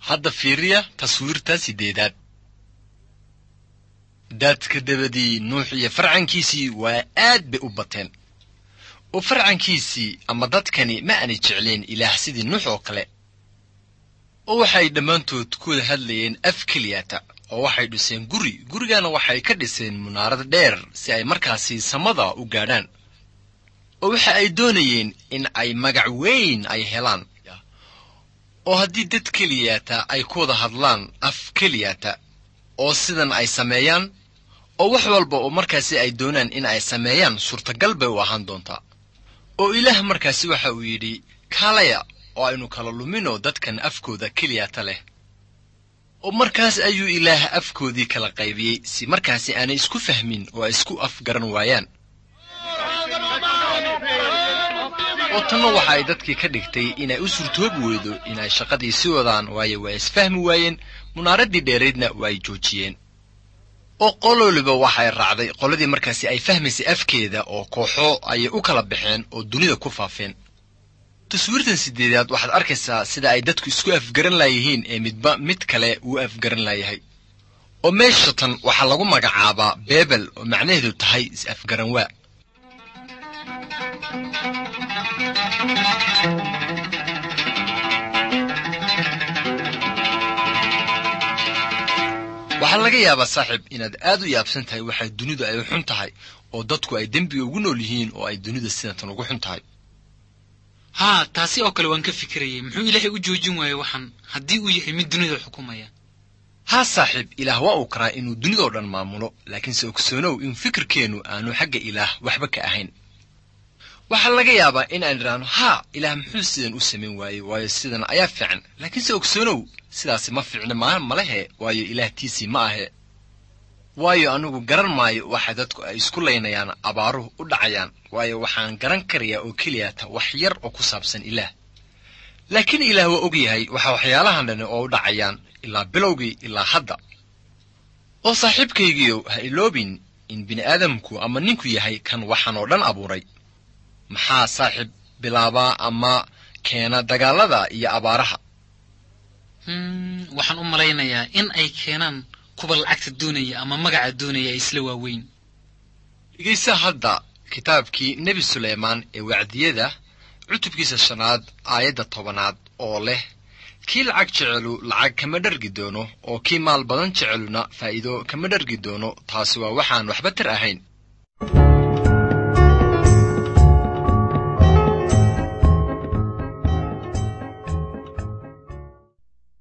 Hadda fiiriya taswiirta sideedaad. Daadka dabadii Nuux iyo farcankiisii waa aad bay u bateen. Oo farcankiisii ama dadkani ma aanay jecleen Ilaah sidii Nuux oo kale. Oo waxay dhammaantood ku wada hadlayeen af keliyata, oo waxay dhiseen guri, gurigana waxay ka dhiseen munaarad dheer si ay markaasi samada u gaadhaan. Oo waxa ay doonayeen in ay magac weyn ay helaan. Oo haddii dad keliyata ay ku wada hadlaan af keliyata, oo sidan ay sameeyaan, oo wax walba oo markaasi ay doonaan in ay sameeyaan suurtagal bay u ahaan doontaa. Oo Ilaah markaasi waxa uu yidhi, kaalaya oo aynu kala lumino dadkan afkooda keliyata leh. Oo markaas ayuu Ilaah afkoodii kala qaybiyey si markaasi aanay isku fahmin oo ay isku afgaran waayaan. Oo tanna waxa ay dadkii ka dhigtay inay u suurtoobi weydo inay shaqadii sii wadaan, waayo waa isfahmi waayeen, munaaraddii dheeraydna waa ay joojiyeen. Oo qololiba waxay raacday qoladii markaasi ay fahmaysay afkeeda, oo kooxo ayay u kala baxeen oo dunida ku faafeen. Taswiirtan sideedaad waxaad arkaysaa sida ay dadku isku afgaran laayihiin ee midba mid kale uu afgaran laayahay. Oo meesha tan waxaa lagu magacaabaa Beebel, oo macnaheedu tahay is-afgaran waa. Waxaa laga yaabaa saaxiib inaad aad u yaabsan tahay waxay dunidu ay u xun tahay, oo dadku ay dembiga ugu nool yihiin, oo ay dunida sidatan ugu xun tahay. Haa, taasi oo kale waan ka fikirayay. Muxuu Ilaahay u joojin waayey waxan haddii uu yahay mid dunida xukumaya? Haa saaxiib, Ilaah waa uu karaa inuu dunidoo dhan maamulo, laakiinse ogsoonow in fikirkeennu aanu xagga Ilaah waxba ka ahayn. Waxaa laga yaabaa in aan idhaahno, haa, Ilaah muxuu sidan u samayn waayey, waayo sidan ayaa fiican. Laakiinse ogsoonow sidaasi ma fiicna malehe, waayo Ilaah tiisii ma ahe. Waayo anigu garan maayo waxa dadku ay isku laynayaan, abaaruhu u dhacayaan, waayo waxaan garan karayaa oo keliyata wax yar oo ku saabsan Ilaah. Laakiin Ilaah waa og yahay waxa waxyaalahan dhani oo u dhacayaan ilaa bilowgii ilaa hadda. Oo saaxiibkaygiiyow, ha iloobin in bini'aadamku ama ninku yahay kan waxaan oo dhan abuuray. Maxaa saaxiib bilaabaa ama keena dagaallada iyo abaaraha? Waxaan u malaynayaa in ay keenaan kuwa lacagta doonaya ama magaca doonaya ay isla waaweyn. Dhegaysa hadda kitaabkii Nebi Suleymaan ee wacdiyada, cutubkiisa 5aad aayadda 10aad oo leh, kii lacag jecelu lacag kama dhargi doono, oo kii maal badan jeceluna faa'iido kama dhargi doono. Taasi waa waxaan waxba tar ahayn.